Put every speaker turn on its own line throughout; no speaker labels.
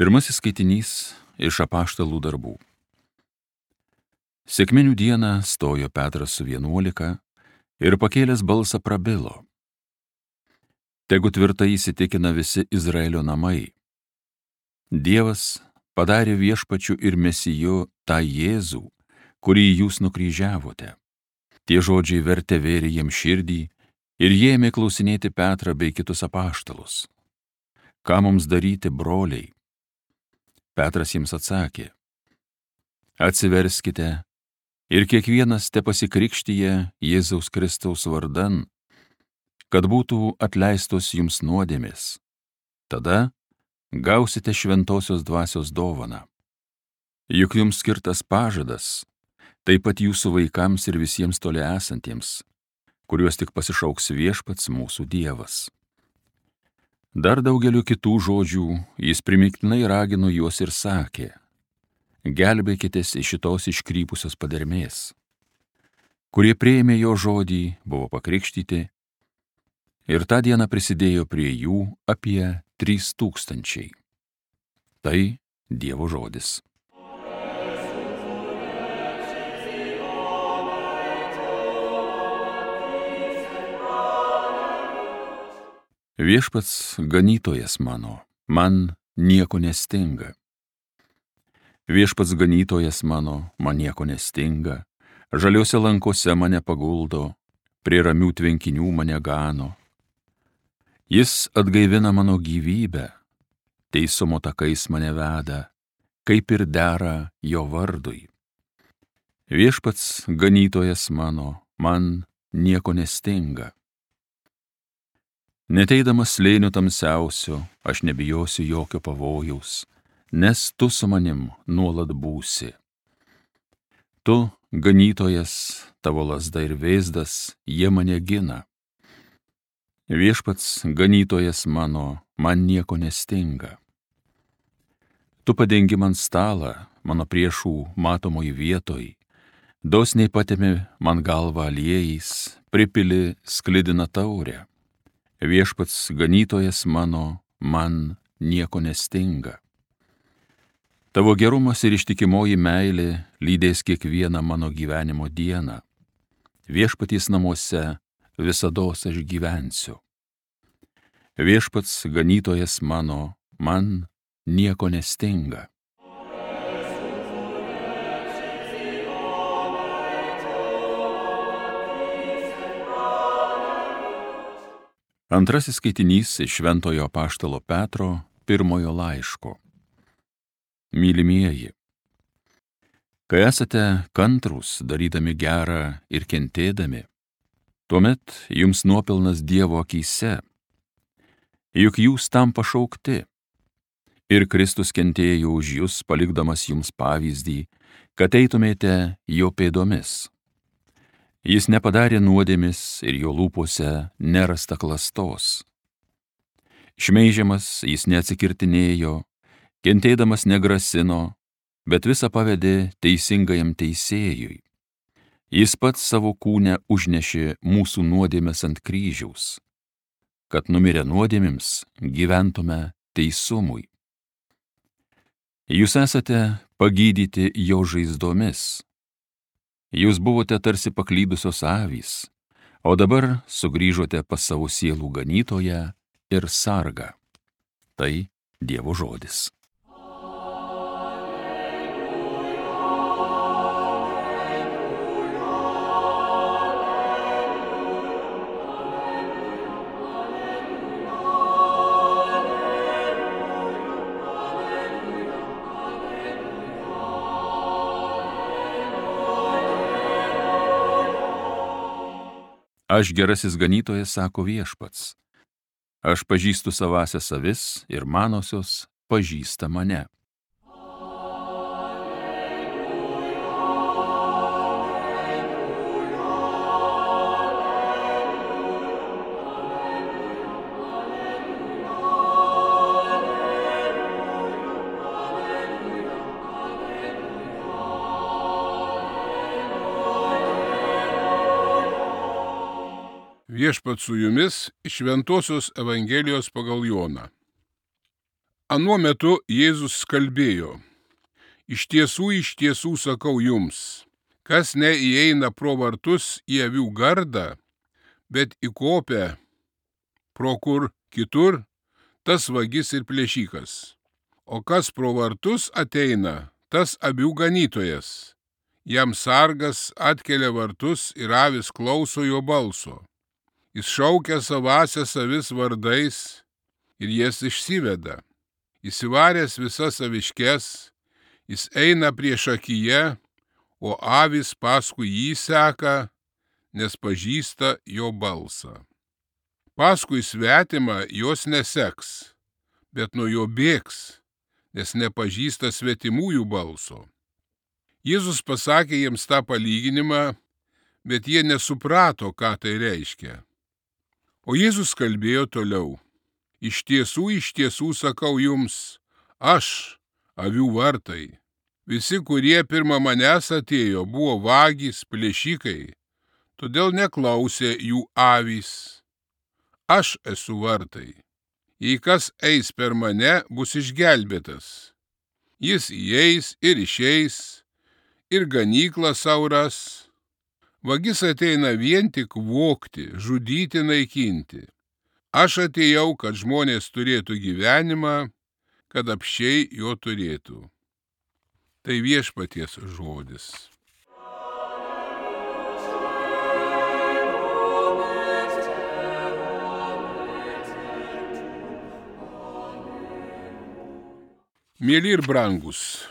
Pirmasis skaitinys iš Apaštalų darbų. Sekminių dieną stojo Petras su 11 ir pakėlęs balsą prabilo: Tegu tvirtai įsitikina visi Izraelio namai. Dievas padarė viešpačiu ir mesiju tą Jėzų, kurį jūs nukryžiavote. Tie žodžiai vertė vėrė jiems širdį ir jie ėmė klausinėti Petrą bei kitus apaštalus: Ką mums daryti, broliai? Petras jiems atsakė: Atsiverskite ir kiekvienas tepasikrikštija Jėzaus Kristaus vardan, kad būtų atleistos jums nuodėmės. Tada gausite šventosios dvasios dovaną. Juk jums skirtas pažadas, taip pat jūsų vaikams ir visiems toli esantiems, kuriuos tik pasišauks viešpats mūsų Dievas. Dar daugeliu kitų žodžių jis primiktinai ragino juos ir sakė: Gelbėkitės iš šitos iškrypusios padermės. Kurie priėmė jo žodį, buvo pakrikštyti, ir tą dieną prisidėjo prie jų apie 3000. Tai Dievo žodis. Viešpats ganytojas mano, man nieko nestinga. Viešpats ganytojas mano, man nieko nestinga, žaliuose lankose mane paguldo, prie ramių tvenkinių mane gano. Jis atgaivina mano gyvybę, teisumo takais mane veda, kaip ir dera jo vardui. Viešpats ganytojas mano, man nieko nestinga. Neteidamas slėnių tamsiausio, aš nebijosiu jokio pavojaus, nes tu su manim nuolat būsi. Tu, ganytojas, tavo lazda ir vėzdas, jie mane gina. Viešpats ganytojas mano, man nieko nestinga. Tu padengi man stalą, mano priešų matomoj vietoj, dosniai patemi man galvą aliejais, pripili sklidiną taurę. Viešpats ganytojas mano, man nieko nestinga. Tavo gerumas ir ištikimoji meilė lydės kiekvieną mano gyvenimo dieną. Viešpaties namuose visados aš gyvensiu. Viešpats ganytojas mano, man nieko nestinga. Antrasis skaitinys iš Šventojo apaštalo Petro pirmojo laiško. Mylimieji, kai esate kantrūs, darydami gerą ir kentėdami, tuomet jums nuopelnas Dievo akyse, juk jūs tam pašaukti. Ir Kristus kentėjo už jūs, palikdamas jums pavyzdį, kad eitumėte jo pėdomis. Jis nepadarė nuodėmės ir jo lūpose nerasta klastos. Šmeižiamas jis neatsikirtinėjo, kentėdamas negrasino, bet visą pavedė teisingajam teisėjui. Jis pats savo kūne užnešė mūsų nuodėmes ant kryžiaus, kad numirę nuodėmėms gyventume teisumui. Jūs esate pagydyti jo žaizdomis. Jūs buvote tarsi paklydusios avys, o dabar sugrįžote pas savo sielų ganytoją ir sargą. Tai Dievo žodis. Aš gerasis ganytojas, sako viešpats. Aš pažįstu savąsias avis ir manosios pažįsta mane.
Viešpats su jumis iš Šventosios Evangelijos pagal Joną. Anuo metu Jėzus kalbėjo: iš tiesų sakau jums, kas neįeina pro vartus į avių gardą, bet įkopia pro kur kitur, tas vagis ir plėšikas. O kas pro vartus ateina, tas avių ganytojas. Jam sargas atkelia vartus ir avis klauso jo balso. Jis šaukia savąsias avis vardais ir jas išsiveda. Įsivaręs visas aviškes, jis eina priešakyje, o avis paskui jį seka, nes pažįsta jo balsą. Paskui svetimą jos neseks, bet nuo jo bėgs, nes nepažįsta svetimųjų balso. Jėzus pasakė jiems tą palyginimą, bet jie nesuprato, ką tai reiškia. O Jėzus kalbėjo toliau: iš tiesų sakau jums, aš, avių vartai. Visi, kurie pirma manęs atėjo, buvo vagys, plėšikai, todėl neklausė jų avys. Aš esu vartai. Jei kas eis per mane, bus išgelbėtas. Jis įeis ir išeis, ir ganyklą sau ras. Vagis ateina vien tik vogti, žudyti, naikinti. Aš atėjau, kad žmonės turėtų gyvenimą, kad apsčiai jo turėtų. Tai viešpaties žodis. Mieli ir brangus,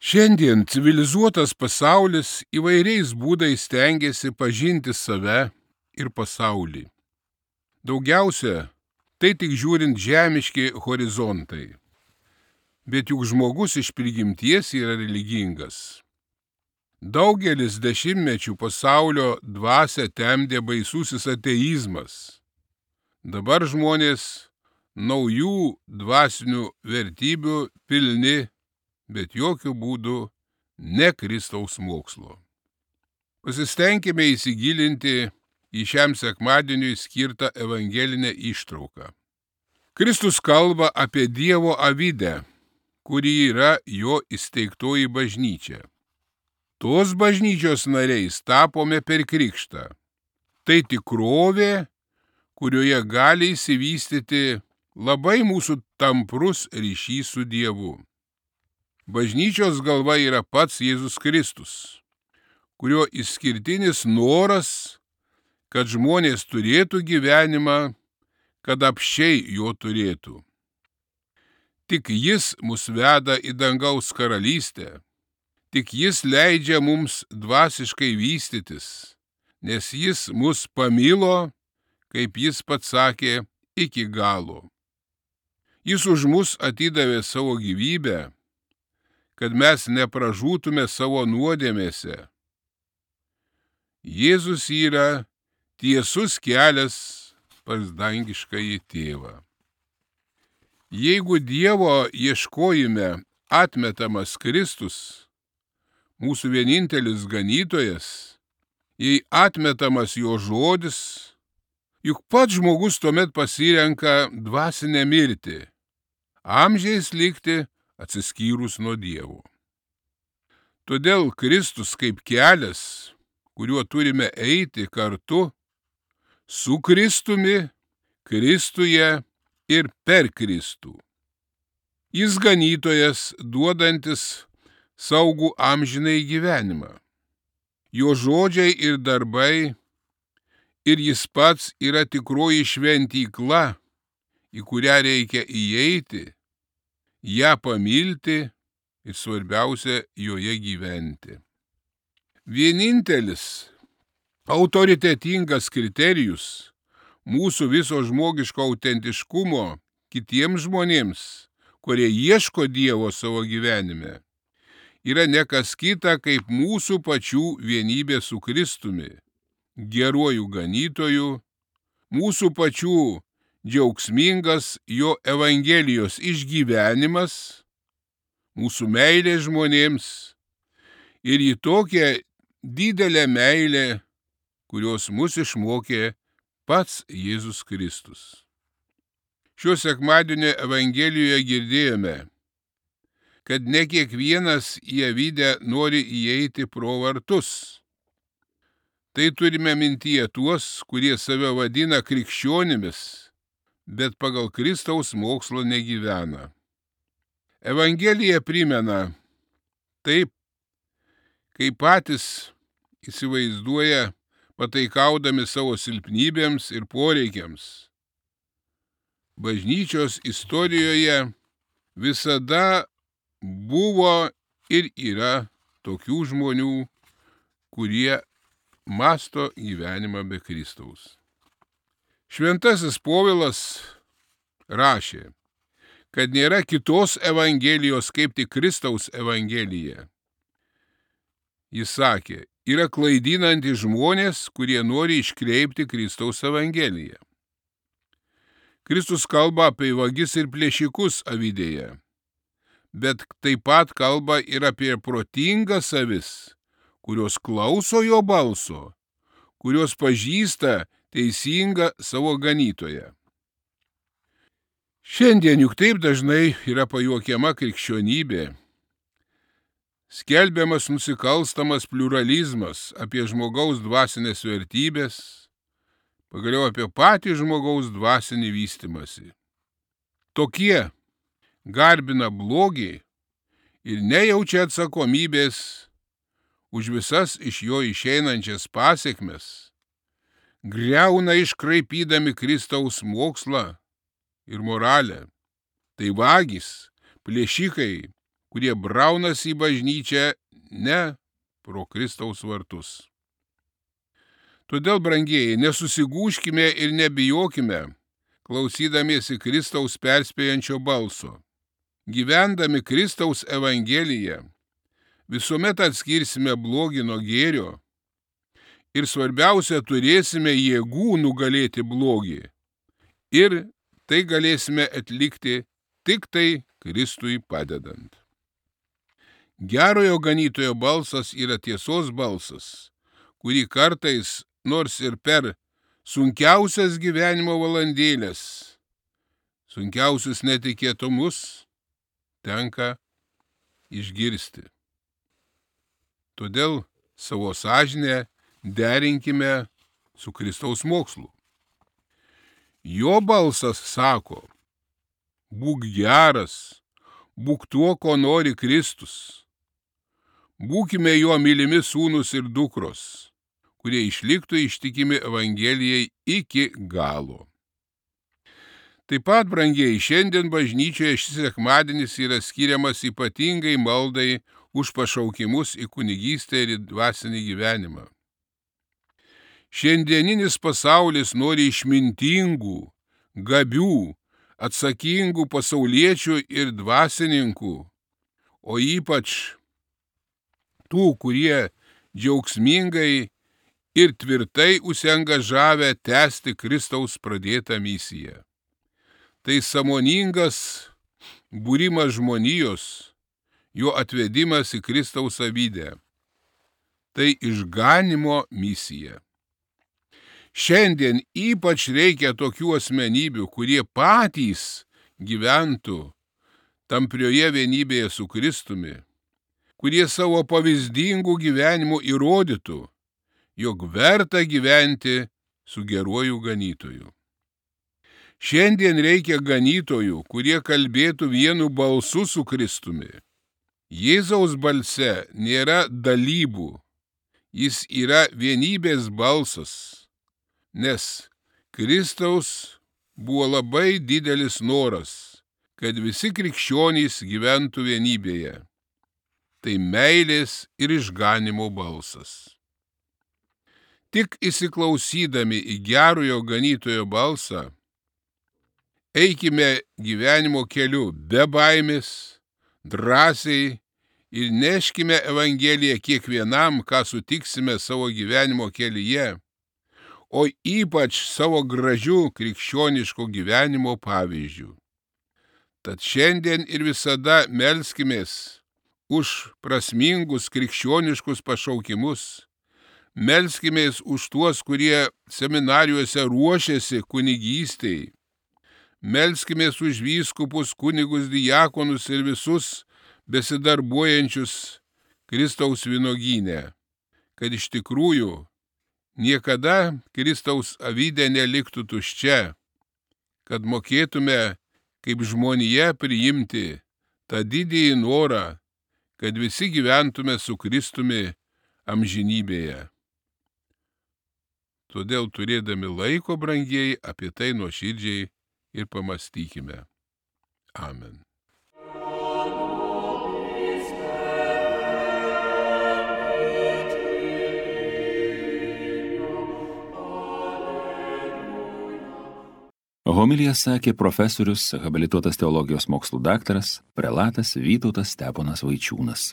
šiandien civilizuotas pasaulis įvairiais būdais stengiasi pažinti save ir pasaulį. Daugiausia tai tik žiūrint žemiški horizontai. Bet juk žmogus iš prigimties yra religingas. Daugelis dešimtmečių pasaulio dvasią temdė baisusis ateizmas. Dabar žmonės naujų dvasinių vertybių pilni, bet jokių būdų ne Kristaus mokslo. Pasistengime įsigilinti į šiam sekmadieniui skirtą evangelinę ištrauką. Kristus kalba apie Dievo avidę, kuri yra jo įsteigtoji bažnyčia. Tos bažnyčios nariais tapome per krikštą. Tai tikrovė, kurioje gali įsivystyti labai mūsų tamprus ryšys su Dievu. Bažnyčios galva yra pats Jėzus Kristus, kurio išskirtinis noras, kad žmonės turėtų gyvenimą, kad apsčiai jo turėtų. Tik jis mus veda į dangaus karalystę, tik jis leidžia mums dvasiškai vystytis, nes jis mus pamilo, kaip jis pats sakė, iki galo. Jis už mus atidavė savo gyvybę, kad mes nepražūtume savo nuodėmėse. Jėzus yra tiesus kelias pas dangiškąjį tėvą. Jeigu Dievo ieškojime atmetamas Kristus, mūsų vienintelis ganytojas, jei atmetamas jo žodis, juk pats žmogus tuomet pasirenka dvasinę mirtį, amžiais likti atsiskyrus nuo Dievo. Todėl Kristus kaip kelias, kuriuo turime eiti kartu su Kristumi, Kristuje ir per Kristų. Jis ganytojas, duodantis saugų amžinai gyvenimą. Jo žodžiai ir darbai ir jis pats yra tikroji šventykla, į kurią reikia įeiti, ją pamilti ir svarbiausia joje gyventi. Vienintelis autoritetingas kriterijus mūsų viso žmogiško autentiškumo kitiems žmonėms, kurie ieško Dievo savo gyvenime, yra ne kas kita kaip mūsų pačių vienybė su Kristumi, geruoju ganytoju, mūsų pačių džiaugsmingas jo evangelijos išgyvenimas, mūsų meilė žmonėms ir į tokią didelę meilę, kurios mus išmokė pats Jėzus Kristus. Šio sekmadienio Evangelijoje girdėjome, kad ne kiekvienas į avydę nori įeiti pro vartus. Tai turime mintyje tuos, kurie save vadina krikščionimis, bet pagal Kristaus mokslo negyvena. Evangelija primena taip, kai patys įsivaizduoja, pataikaudami savo silpnybėms ir poreikiams. Bažnyčios istorijoje visada buvo ir yra tokių žmonių, kurie masto gyvenimą be Kristaus. Šventasis Povilas rašė, kad nėra kitos evangelijos kaip tik Kristaus evangelija. Jis sakė, yra klaidinantys žmonės, kurie nori iškreipti Kristaus evangeliją. Kristus kalba apie vagis ir plėšikus avydėje, bet taip pat kalba ir apie protingas avis, kurios klauso jo balso, kurios pažįsta teisingą savo ganytoją. Šiandien juk taip dažnai yra pajuokiama krikščionybė, skelbiamas nusikalstamas pliuralizmas apie žmogaus dvasinės vertybės, pagaliau apie patį žmogaus dvasinį vystymąsi. Tokie garbina blogį ir nejaučia atsakomybės už visas iš jo išeinančias pasekmes, griauna iškraipydami Kristaus mokslą ir moralę. Tai vagys, plėšikai, kurie braunasi į bažnyčią ne pro Kristaus vartus. Todėl, brangieji, nesusigūžkime ir nebijokime, klausydamiesi Kristaus perspėjančio balso. Gyvendami Kristaus evangeliją, visuomet atskirsime blogį nuo gėrio ir svarbiausia, turėsime jėgų nugalėti blogį ir tai galėsime atlikti tik tai Kristui padedant. Gerojo ganytojo balsas yra tiesos balsas, kurį kartais, nors ir per sunkiausias gyvenimo valandėlės, sunkiausius netikėtumus, tenka išgirsti. Todėl savo sąžinę derinkime su Kristaus mokslu. Jo balsas sako, būk geras, būk tuo, ko nori Kristus. Būkime jo mylimi sūnus ir dukros, kurie išliktų ištikimi Evangelijai iki galo. Taip pat, brangieji, šiandien bažnyčioje šis sekmadienis yra skiriamas ypatingai maldai už pašaukimus į kunigystę ir į dvasinį gyvenimą. Šiandieninis pasaulis nori išmintingų, gabių, atsakingų pasauliečių ir dvasininkų, o ypač tų, kurie džiaugsmingai ir tvirtai užsiangažavę tęsti Kristaus pradėtą misiją. Tai sąmoningas būrimas žmonijos, jo atvedimas į Kristaus avydę. Tai išganymo misija. Šiandien ypač reikia tokių asmenybių, kurie patys gyventų tamprioje vienybėje su Kristumi, kurie savo pavyzdingų gyvenimų įrodytų, jog verta gyventi su geruoju ganytoju. Šiandien reikia ganytojų, kurie kalbėtų vienu balsu su Kristumi. Jėzaus balse nėra dalybų, jis yra vienybės balsas, nes Kristaus buvo labai didelis noras, kad visi krikščionys gyventų vienybėje. Tai meilės ir išganymo balsas. Tik įsiklausydami į gerojo ganytojo balsą, eikime gyvenimo keliu be baimės, drąsiai ir neškime Evangeliją kiekvienam, ką sutiksime savo gyvenimo kelyje, o ypač savo gražių krikščioniško gyvenimo pavyzdžių. Tad šiandien ir visada melskimės už prasmingus krikščioniškus pašaukimus, melskimės už tuos, kurie seminarijose ruošiasi kunigystei, melskimės už vyskupus, kunigus, diakonus ir visus besidarbuojančius Kristaus vynuogyne, kad iš tikrųjų niekada Kristaus avydė neliktų tuščia, kad mokėtume kaip žmonija priimti tą didįjį norą, kad visi gyventume su Kristumi amžinybėje. Todėl turėdami laiko, brangieji, apie tai nuoširdžiai ir pamastykime. Amen.
Homiliją sakė profesorius, habilituotas teologijos mokslų daktaras, prelatas Vytautas Steponas Vaičiūnas.